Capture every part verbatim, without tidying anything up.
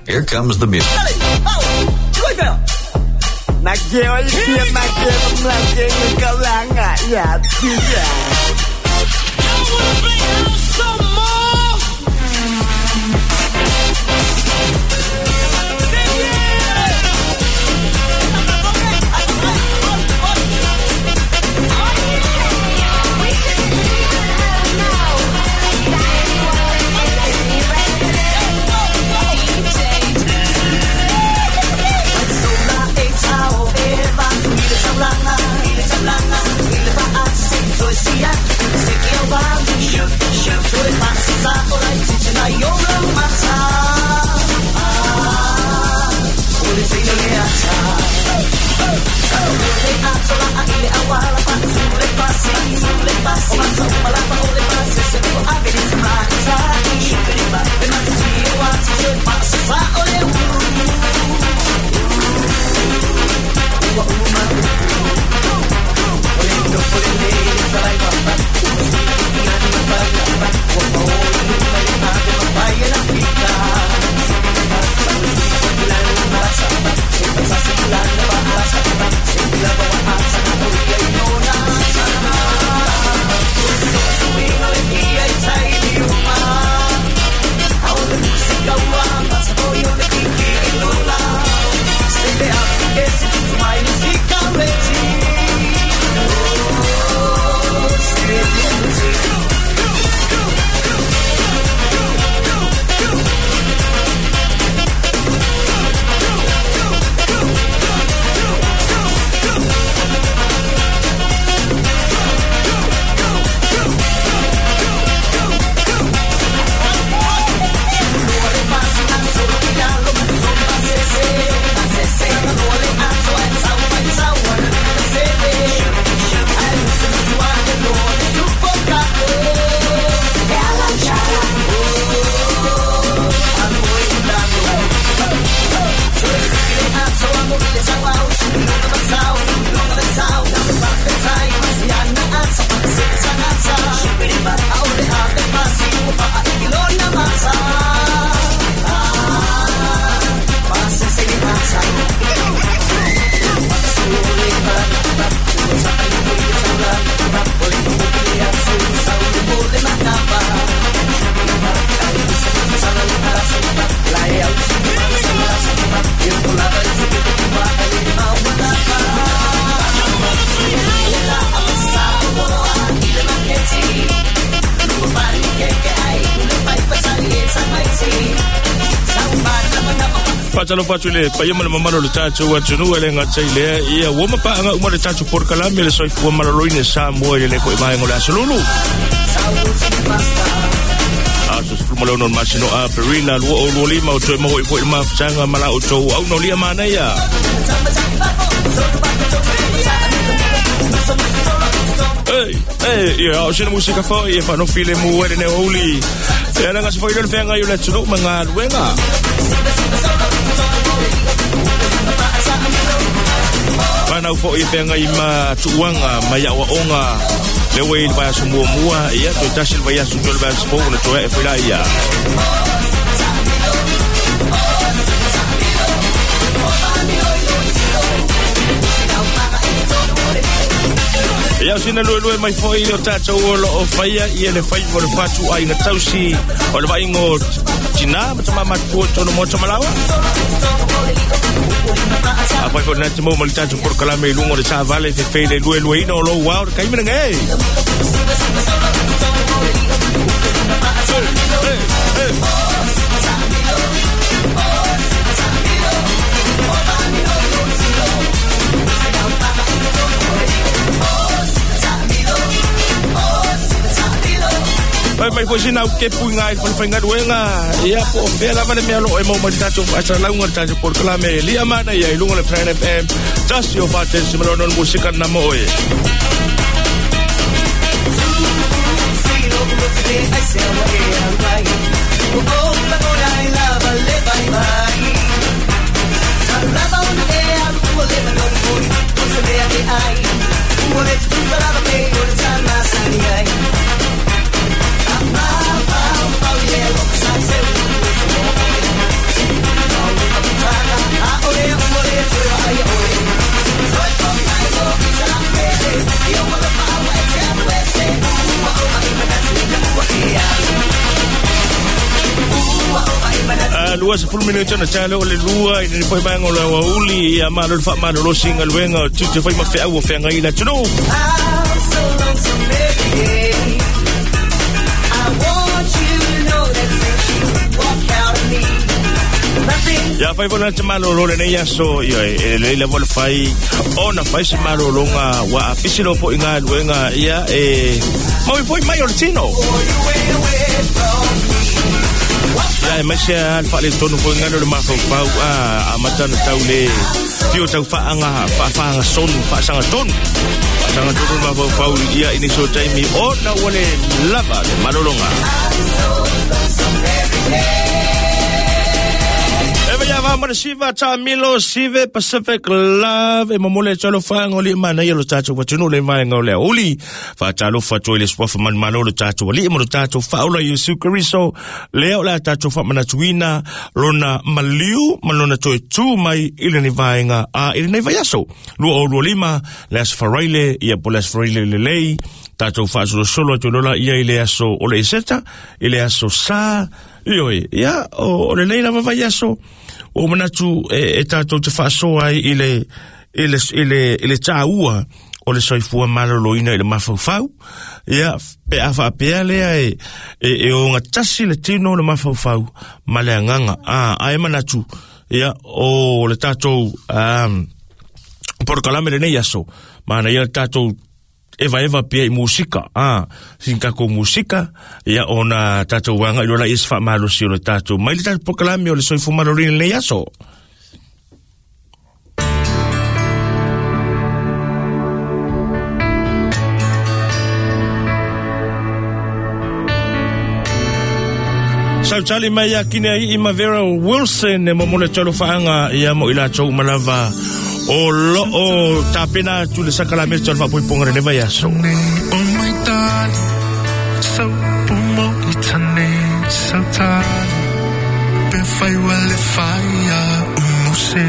Here comes the music. Fatalo le paia ma le mamalo le tatou atunuu e le gata i lea ia ua mapaaga uma le tatou polokalame le soifua maloloina Samoa i le foi vaega o le aso lulu. Aso sefulu ma le ono o le masina o Aperila lua o lua lima o toe maua i foi le mafutaga ma la outou aunolia manaia. Ei, ei, ia o sina musika foi e whanofile mu e le neo uli. E ala ngasi foi le whenga i o le atunuu ma ngā luenga. Whanau foi e whenga i ma tuuanga, ma iaua onga. Lewe i le vai aso mua mua, ia toe tasi le vai aso toe le vai aso fou, na toe e whaila ia. Ia o sina lue lue mai foi o tātou o loo whaia ia le whai mo le whatu ai ngā tausi o le vaingo tina ma tama matua tono mo tamalawa. A whai fo nā te mo ma le tātou porokalame i lunga o le tāvale fe whele lue lue ina o lou wao te kaimina ngei. Hey, hey, hey. Mai mai foi sina ke pui ngai foi foi ngaduenga ia po fe la vale mea lo e mo mai tatou asa launga tatou porokalame lia mana ia i lunga le Planet F M tasi o fate simalono musika na mo e. Ia lua sefulu minute na tale o le lua i le foi mai o le aoauli ia malo le faamalolo galuega o tiute fai ma feau o feagai i le atunuu. I'm so lonesome every day. I want you to know that since you walked out of me, nothing's Ia fai fona te malolo lenei aso ia e lelei lava le fai ona fai se malologa ua apisi lo foʻi galuega ia e maui foi mai o le tino. for you went away from me. Ia e maise a le faaletonu foi galo le mafaufau a amata na tau le fio tau faaga faafagasonu faasagatonu faasagatonu le mafaufau ia i nisi o taimi ona ua le lava le malologa. Eva ia va mana siva ta milo sive Pacific Love e momole talo fanga li mana ia lo tatou watunu le mai ngau le uli fa talo fa toi le swafa man malo lo tatou ali mo lo tatou fa ola Yesu Kristo le o la tatou fa mana tuina lona maliu malona toi tu mai ile ni vaenga a ile ni vaiaso lua o lua lima le as faraile ia po le as faraile le lei tatou faasolosolo atu lola ia i le aso o le eseta i le aso sa ioi ia o, o le lei lava vai aso o manatu e, e tatou te faasoa ai i le i le i le i le tāua o le soifua maloloina i le mafaufau ia pe a faapea lea e e, e ogatasi le tino o le mafaufau ma le agaga a ae manatu ia o le tatou um, porokalame lenei aso mana ia le tatou eva eva pia i musika ah sin kako musika ia ona tatou wanga ilola is fa malosi o le tatou mai le tatou porokalame o le soifua maloloina lenei aso. Sautali mai ia kine ai i Mavera Wilson e momole talo faanga ia mo ila tou malava o lo o tapena tu le sakalame talo faapoipoga lenei vaiaso. O mai tali, sau pumo i tane, sau tali, pe fai ua le fai a umuse.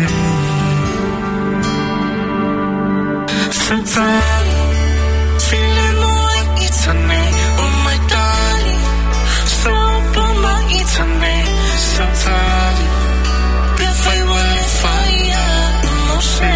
Sau tali, file moa i tane, o mai tali, sau pumo i tane, sau tali, pe fai ua le fai a umuse.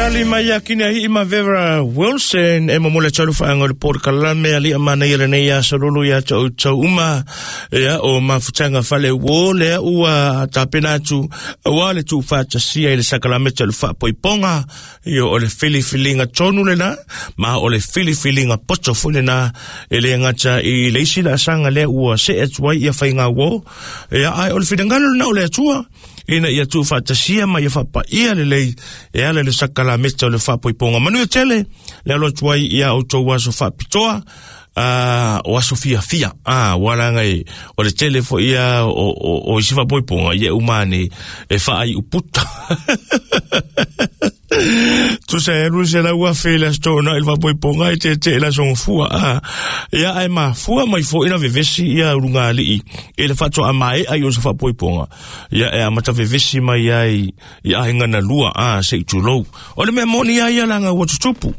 Tali mai akina hi ma Vera Wilson e mo le tolu whaanga le port kalame ali amana ia lenei a sololo ia tau tau uma ia o mafutanga fale wo le ua tapena atu ua le tu whatasia i le sakalame tolu whapoiponga ia o le filifilinga tonu lena ma o le filifilinga poto fo lena e le ngata i le isi la sanga le ua se atuai ia whainga wo ia ai o le whidangalo na o le atua ina ia tu whatasia ma ia whapaia le lei e ala le sakalameta o le whapoiponga. Manu e tele, le alo tuai ia o tau aso whapitoa, uh, o aso fia fia. Ah, walanga e, o le tele fo ia o, o, o isi whapoiponga, ia umane e whaai uputa. Tu sa elu se la ua fe la stona il whapoiponga e te te la songo fua. Ah, ia ai ma fua mai fo ina vevesi ia urunga alii. E le whatua amae ai o sa whapoiponga. Ia e amata vevesi mai ai i ahinga na lua ah, se i tulou. O le mea moni ia ia langa ua tutupu.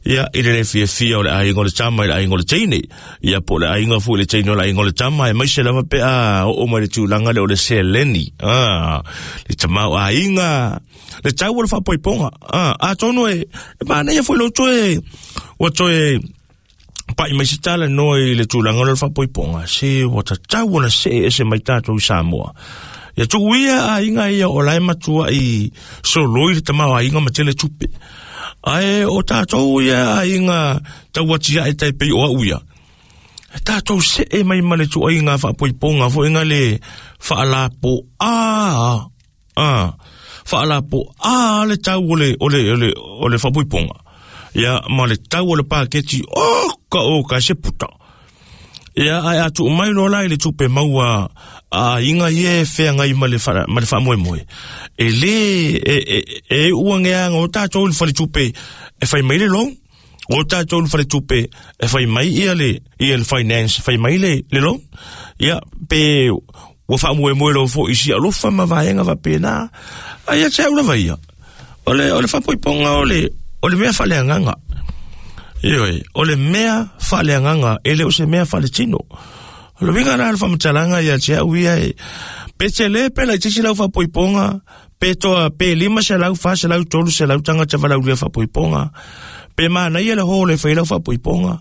Ia i le fia fia o le ahinga o le tama i le ahinga o le teine. Ia po le ahinga fu i le teine o le ahinga o le tama. E maise lava pe a o o mai le tūlanga le o le seleni. Ah, le tama o ahinga. Le tau o le whapoiponga. Ah, a tono e, e mana ia foi lo toe, ua toe, pai mai se tala no i le tūlanga o le whapoiponga. Se ua tatau ona se e se mai tātou i Samoa. Ia tuu ia ahinga ia o lae matua i soloi le tama o ahinga ma tele tupe. Ae o tātou ia ahinga tau atia e tai pei o au ia. E tātou se e mai ma le tuaiga whapoiponga fo inga le whaalapo a a whaalapo a le tau o le o le o le o le whapoiponga. Ia ma le tau o le paketi o ka o ka se puta. Ia ai atu mai lola i le tupe maua a inga ie whea ngai ma le wha, ma le wha moe. E le e e e uangea o tātou le whale tupe e whai mai le long. O tātou le whale tupe e whai mai ia le ia le finance whai mai le le long. Ia pe ua wha moe moe lo fo isi alofa ma vaenga wa pena. Ai a te au lava ia. O le o le whapoiponga o le o le mea whale anganga. Ioi, o le mea whale anganga, e le o se mea whale tino. O le winga rā le whamatalanga ia te au ia e. Pe te le pe lai tisi lau whapoiponga, pe toa pe lima se lau, wha se lau, tolu se lau, tanga te walau lia whapoiponga. Pe mana ia le hole whai lau whapoiponga.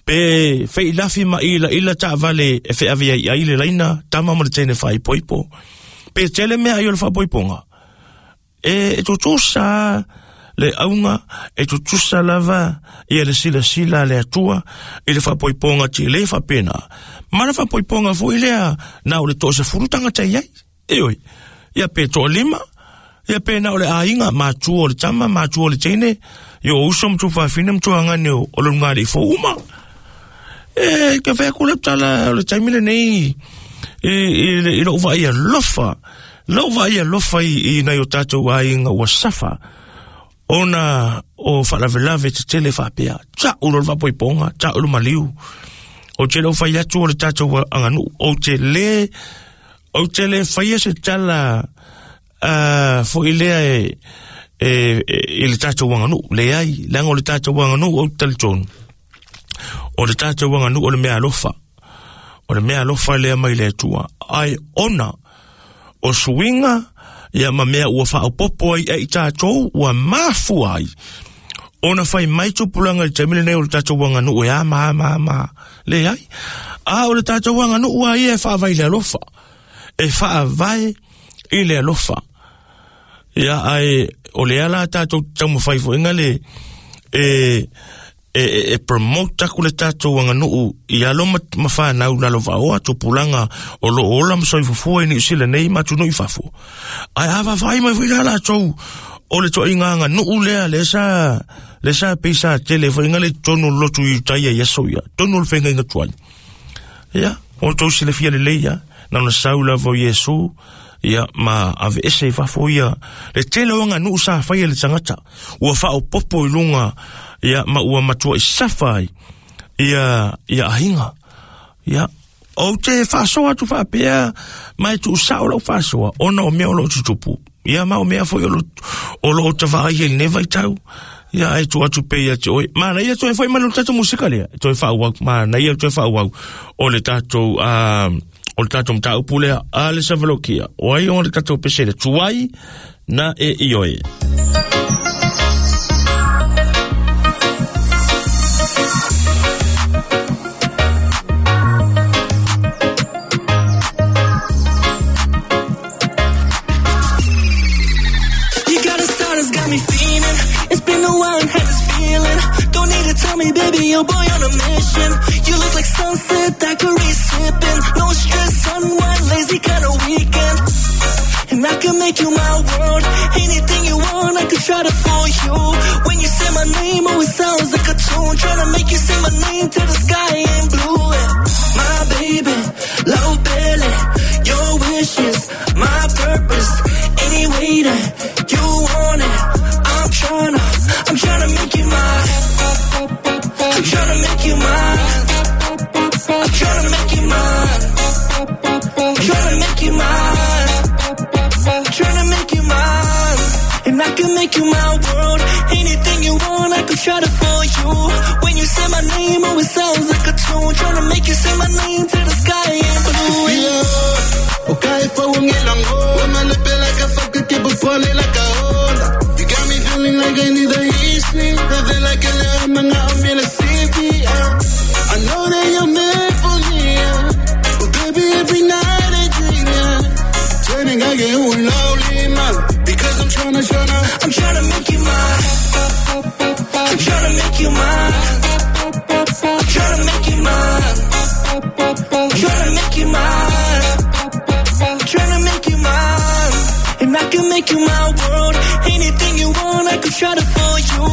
Pe whai lafi ma ila ila ta vale e whai awia i aile laina, tama mo le tene whai poipo. Pe te le mea i o le whapoiponga. E, e tutusa le aunga e tutusa lava ia le sila sila le atua i le whapoiponga ti le whapena. Ma le whapoiponga fo i lea na o le toa se furutanga te iai. E oi, ia pe toa lima, ia pe na o le ainga, matua o le tama, matua o le teine, ia o uso mtu whawhine mtu angane o o le ngari fo uma. E ka whea kule tala o le taimile nei i, i, i lo uwa ia lofa. Lo uwa ia lofa i, i nai o tātou ainga ua safa. Ona o whalavelave te tele whapea. Ta ulo le whapoiponga, ta ulo maliu. O te leo whai atu o le tātou anganu. O te le, o te le whaia se tala uh, fo i lea e, e, e, e le tātou anganu. Le ai, langa o le tātou anganu o te talitonu. O le tātou anganu o le mea alofa. O le mea alofa lea mai le atua. Ai ona o suinga ia ma mea ua whaopopo ai e i tātou ua mafu ai. Ona whai mai tupulanga i te mile nei o le tātou anganu e a ma ma ma. Le ai. A o le tātou anganu ua ia e whaavai le alofa. E whaavai i le alofa. Ia ai o le ala tātou taumawhai fo inga le e e e promote aku le tātou anganu i alo ma whanau lalo vaoa tupulanga o lo ola masoi fufua i Niu Sila nei matunu i fafo. Ai awa whai mai fui la tau o le toa inga anganu lea le sa le sa pisa tele fo inga le tonu lotu i taia ia soia tonu le whenga inga tuai. Ia o tau sile fia le leia na ona saula vo Yesu ia ma ave ese i fafo ia le tele o anganu sa whai le tangata ua whao popo i lunga ia ma ua matua i safa ai ia ia ahinga ia o te whasoa atu whapea mai tu sao lau whasoa ona o mea o lo tutupu ia ma o mea foi o lo o lo tawhai e neva i tau ia ai tu atu pe ia te oi mana ia toe whai mai lo tātou musika lea toe whaau mana ia toe whaau o le tātou um, o le tātou mtaupu lea a le savalokia o ai o le tātou pesele tuai na e ioe. me, baby, your boy on a mission. You look like sunset daiquiri sipping. No stress, unwind, lazy kind of weekend. And I can make you my world. Anything you want, I could try to fool you. When you say my name, oh, it sounds like a tune. Trying to make you say my name till the sky ain't blue. My baby, low belly, your wishes, my purpose. Any way that you want it, I'm tryna, I'm tryna make you mine. I'm tryna make you mine. I'm tryna make you mine. I'm tryna make you mine. I'm tryna make you mine. And I can make you my world. Anything you want, I could try to fool you. When you say my name, oh, it sounds like a tune. Tryna make you say my name till the sky ain't blue. You got me feeling like I need a history. Nothing like a little man, I'm in a city. I know that you're meant for me. But baby, every night I dream, yeah. Turning, I get lonely, man. Because I'm tryna, tryna, I'm tryna make you mine. I'm tryna make you mine. I'm tryna make you mine. I'm tryna make you mine. I'm tryna make you mine. And I can make you my world. Anything you want, I could try to fool you.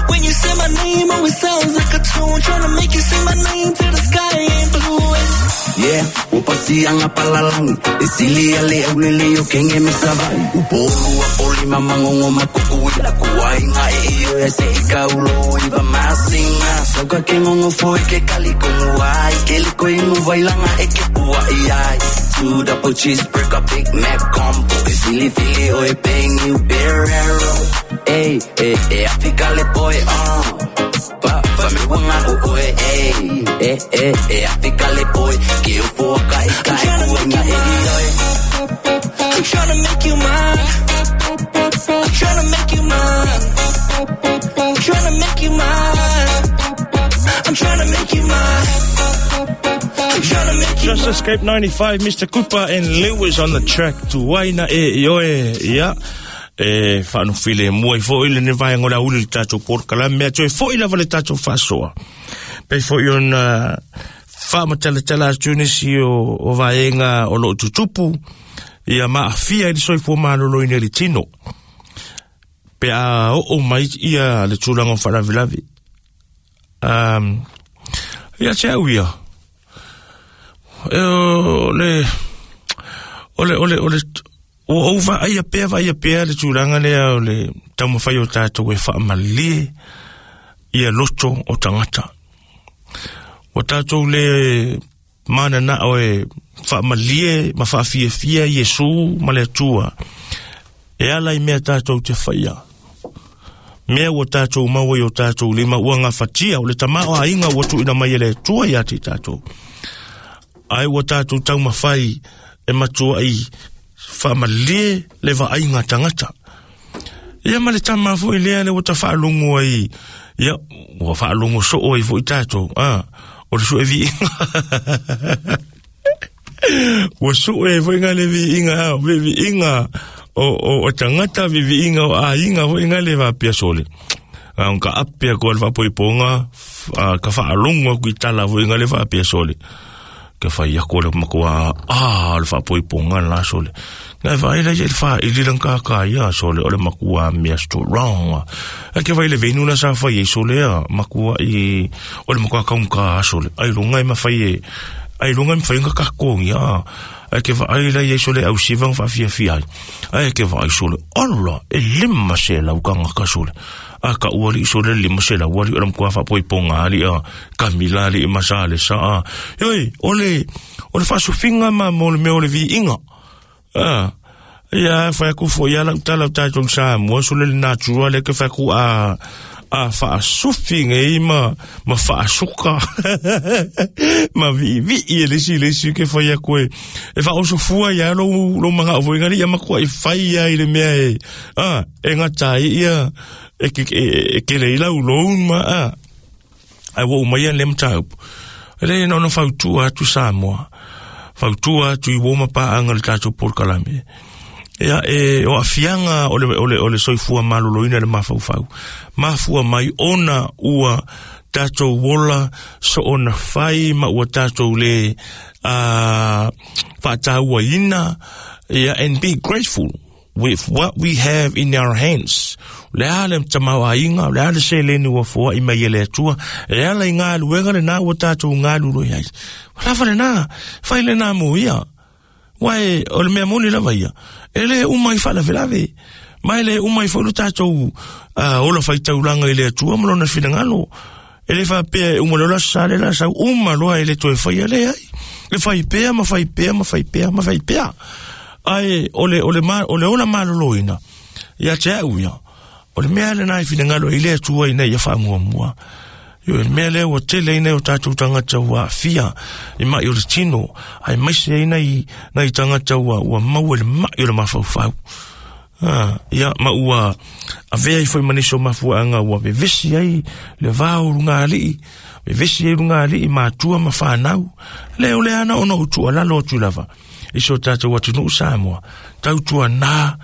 When you say my name, oh, it sounds like a tune. Tryna make you say my name till the sky ain't blue. Yeah, upasianga palalangi isilia le aulele yo kenge misavai upolu apoli mamangongo makukuila kuwainga iyo ese ikaulo iba masinga soka kengongo foi ke kalikonguai keliko inguvailanga ekepua iai two double cheeseburger Big Mac combo isili fili oe pengi uberero ey eh eh Afrika le boy uh pa fa me wanga o oe ey eh eh eh Afrika le boy ke o foka e ka e kuenga e ioe. I'm tryna make you mine. I'm tryna make you mine. I'm tryna make you mine. I'm tryna make you mine. I'm tryna make you Just Escape ninety-five, Mister Cooper and Lewis on the track. Tuaina e ioe, ia. E whaanufile mua i fo ile ne vai ngola uli le tātou porkala mea toe fo ila le tātou whasoa. Pe fo i ona whaamatalatala atu nisi o, o vaenga o loo tutupu ia maafia i le soifua maloloina i le tino. Pe a oo mai ia le tulaga o faalavelave. Um, ia te au ia. E o le o le o le o le o ova ai pea vai pea le tulaga lea o le taumafai o tatou e faamalie ia loto o tagata. O tātou le manana o e faamalie ma faafiafia Iesu ma le Atua. E ala i mea tātou te whaia. Mea ua tātou maua i o tātou lima ua ngawhatia o le tamao a inga ua tuina mai e le Atua ia te tātou. Ai ua tātou taumafai e matua i faamalie le vaaiga tagata. Ia ma le tama foi lea le ua tawhaalongo ai. Ia, ua whaalongo soo ai foi tātou. Ah, o le sue viinga. Ua sue foi ngā le viinga, vi viinga o, o, o tangata vi viinga o ainga foi ngā le vapia sole. Ah, ka apia ko le whapoiponga, ka whaalongo aku i tala foi ngā le vapia sole. Ka whai ako le makoa, ah, le whapoiponga la sole. Ngai whae lai le wha i lilang kaka ia sole o le makua mea strong. A ke whai le venu na sa whai e sole a makua i o le makua kaunka sole. Ai lunga i mawhai e ai lunga i mawhai nga kakongi a. Ai ke whae lai e sole au sivang wha fia ai. Ai ke whae sole ala e lima se lau ka ngaka sole. A ka uali sole lima se lau ali o le makua whapoiponga ali a kamila ali i masale sa a. Yoi, ole o le whasufinga ma mo le mea o le vi inga. Ah, ia whai ku fo ia lau tala tātou sa mua sole le natura le ke whai ku a a whaasufi ngei ma ma whaasuka ma vi vi i le si le si ke whai aku e e whaosofua ia lo lo manga o ngari ia makua i whai ia i le mea e ah e ngata ia e ke e ke le lau lo ma a ai wo mai le mtau le no no fautua atu Samoa fautua atu i woma pa anga le tātou porkalame. Ia e o afianga o le, o le, o le soifua maloloina le mafaufau. Mafua mai ona ua Tatou ola soona fai ma ua tatou le uh, faatauaina, ia, and be grateful with what we have in our hands. Le a le tamauaiga, le a le seleni ua foaʻi mai e le Atua, e ala i galuega lenā ua tatou galulue ai. Lava lenā, fai lenā mo ia. Uae o le mea moni lava ia, e lē uma i faalavelave, ma e lē uma i foi lo tatou uh, ola faitaulaga i le Atua ma lona finagalo. E le faapea e uma loa le aso sa le la sau uma loa e le toe faia le ai. E fai pea ma fai pea ma fai pea ma fai pea. Ae o le, o le, ma, o le ola maloloina, ia te au ia, o le mea lenā i finagalo i le Atua ina ia faamuamua. Io, le mea lea ua tele ai nai o tatou tagata ua aafia i maʻi o le tino, ae maise ai nai, nai tagata ua, ua maua i le maʻi o le mafaufau. Ah, ia, ma ua avea ai foi ma nisi o mafuaaga ua vevesi ai le va o lugalii, vevesi ai lugalii matua ma fanau. Le o le ana ona ou tuualalo atu lava i so tatou atunuu Samoa, tautuanā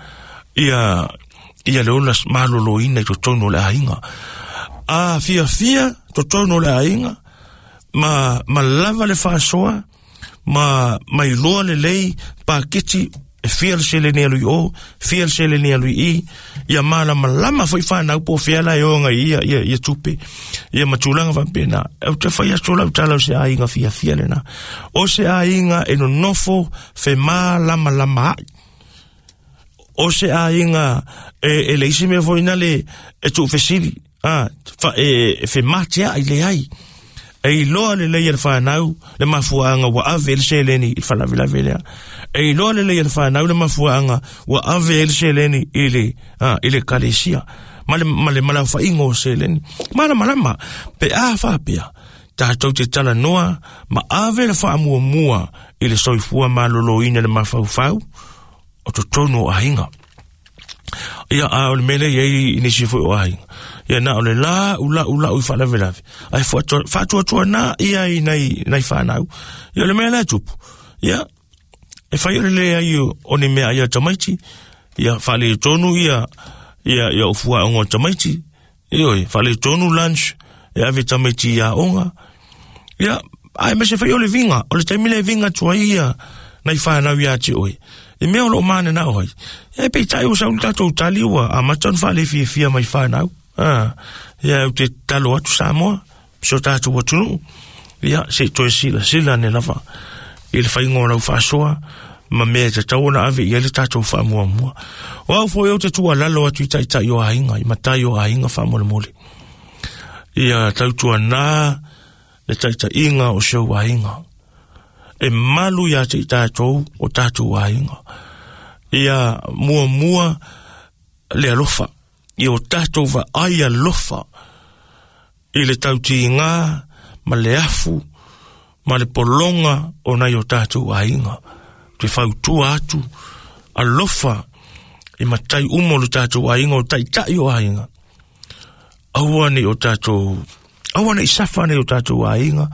ia, ia le ola maloloina i totonu o le aiga. A fiafia totonu o le aiga, ma, ma lava le faasoa, ma mailoa lelei paketi e fia le seleni alu i o, fia le seleni alu i i, ia malamalama foi fanau po o fea la e o agai ia, ia, ia tupe, ia ma tulaga faapena. Ou te fai atu lau tala o se aiga fiafia lenā. O se aiga e nonofo femalamalamaai. O se aiga e, e le isi mea foi na le e tuufesili, a, fa, e, e femateaʻi leai. E iloa lelei e le fanau le mafuaaga ua ave ai le seleni i le faalavelave lea. E iloa lelei e le fanau le mafuaaga ua ave ai le seleni i le, a, i le ekalesia ma le, ma le malaofaiga o seleni. Malamalama pe a faapea tatou te talanoa ma ave le faamuamua i le soifua maloloina le mafaufau o totonu o aiga. Ia, a o le mea lea i ai i nisi foi o aiga, ia na o le lau lau lau i faalavelave, ae faatuatuanā ia i nai, nai fanau. Ia o le mea lea tupu, ia, e fai o le leai o ni mea ia tamaiti, ia faaletonu ia, ia, ia o fuaoga o tamaiti, ioe, faaletonu lunch, e ave tamaiti i aoga. Ia, ae ma se fai o le viga, o le taimi le viga atu ai ia nai fanau iā te oe. I mea o loo mananao ai. E peitai ua sau le tatou tali ua amata ona faalefiafia mai fanau. Ah, ia ou te tatalo atu Samoa, si o tatou atunuu, ia se i toe silasila ane lava i le faiga o lau faasoa ma mea e tatau ona ave i ai le tatou faamuamua. O au foi ou te tuualalo atu i taitai o aiga, i matai o aiga faamolemole. Ia tautuanā le taitaiga o si ou aiga. E malu iā te i tatou o tatou aiga. Ia muamua le alofa. Ia o tatou vaai alofa i le tautigā ma le afu ma le pologa o nai o tatou aiga. Te fautua atu alofa i matai uma o le tatou aiga, o taitai o aiga. Aua nei o tatou, aua nei safa nei o tatou aiga,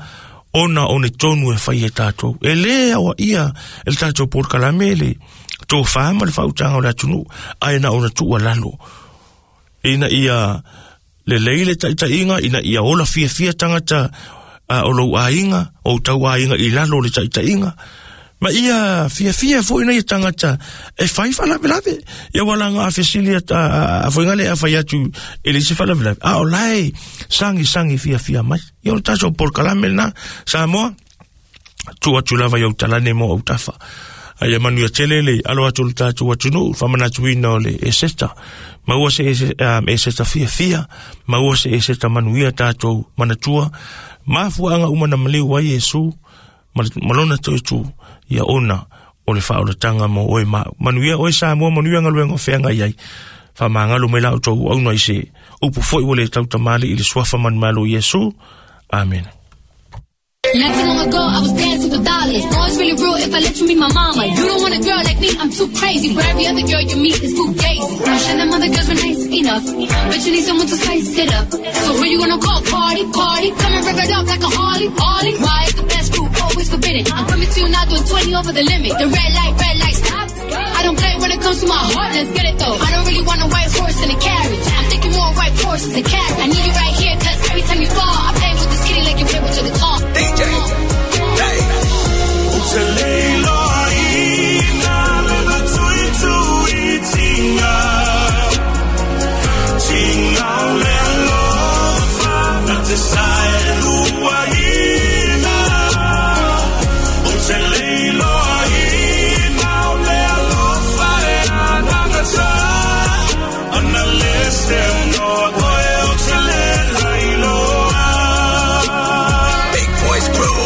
ona o ni tonu e fai e tatou. E lē aoaʻia e le tatou polokalame le tofā ma le faautaga o le atunuu, ae na ona tuualalo ina ia lelei le taitaiga, ina ia ola fiafia tagata uh, o lou aiga, o tau aiga i lalo o le taitaiga. Ma ia fiafia foi nei tagata e fai faalavelave. Ia ua laga a fesili a, a, a foiga le a fai atu e le isi faalavelave. A o lae sagi sagi fiafia mai. Ia o le tatou polokalame lenā Samoa, tuu atu lava i ou talane mo autafa. Aia manuia tele le alo atu o le tatou atunuu, faamanatuina o le Eseta. Maua se um, Eseta fiafia, maua se Eseta manuia tatou manatua. Mafuaaga uma na maliu ai Iesu, ma lona toe tu, ia ona o le faaolataga mo oe ma au. Manuia oe Samoa, manuia galuega o feagai ai. Faamagalo mai la outou auauna i se upu foi ua le tautamaliʻi i le suafa manumalo Iesu. Amene. Not too long ago, I was dancing for dollars. No, it's really real if I let you meet my mama. You don't want a girl like me, I'm too crazy. But every other girl you meet is fugazi. I'm sure them other girls were nice enough, but you need someone to spice it up. So who you gonna call? Party, party. Come and rev it up like a Harley, Harley. Why is the best food always forbidden? I'm coming to you now doing twenty over the limit. The red light, red light, stop. I don't play when it comes to my heart, let's get it though. I don't really want a white horse in a carriage. I'm thinking more white horses and cats. I need you right here, cause every time you fall, I play with this kitty like you play with your guitar. D J, hey. Big Boys Crew.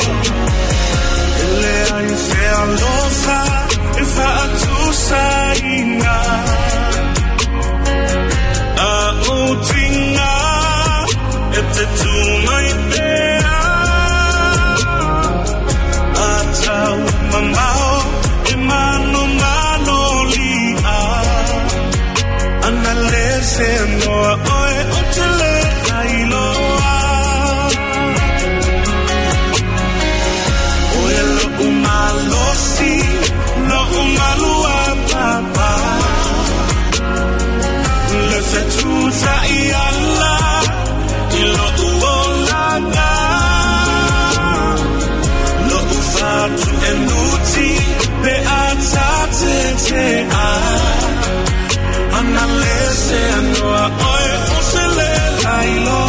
Ana lese anoa oe o se le lailoa.